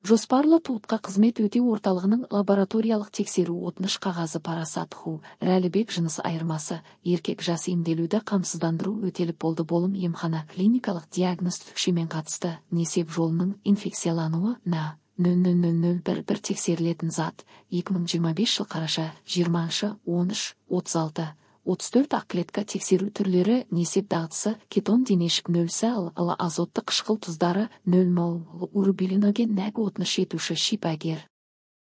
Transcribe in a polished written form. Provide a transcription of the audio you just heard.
Жоспарлы туутка кызмет өтүү орталыгынын лабораториялык текшерүү отмуш кагазы парасат ху Ралибек жыныс айырмасы эркек жасы эмделүүдө камсыздандыруу өтөлүп болду болум эмхана клиникалык диагноз түшү менен катышты несеп жолунун инфекциялануу на 0001 текшерилетін зат 2025 жыл караша 20-13-36 34 ак клетка текшерүү түрлөрү несеп дагытысы кетон денешик 0 азоттук кышкыл туздары 0 урубилиноген нәг отмуш етуші шипагер